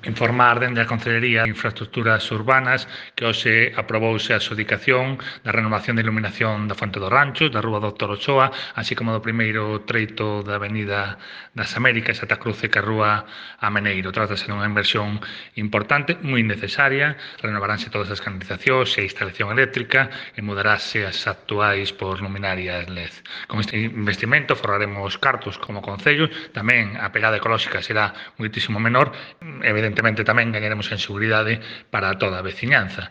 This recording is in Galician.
Informar dende a Concellería de Infraestructuras Urbanas que hoxe aprobouse a adxudicación da renovación de iluminación da Fonte dos Ranchos, da Rúa Doctor Ochoa, así como do primeiro treito da Avenida das Américas ata cruce ca Rúa Ameneiro. Trátase dunha inversión importante, moi necesaria, renovaránse todas as canalizacións e a instalación eléctrica e mudarase as actuais por luminarias LED. Con este investimento forraremos cartos como Concello, tamén a pegada ecolóxica será moitísimo menor, evidentemente tamén gañaremos en seguridade para toda a veciñanza.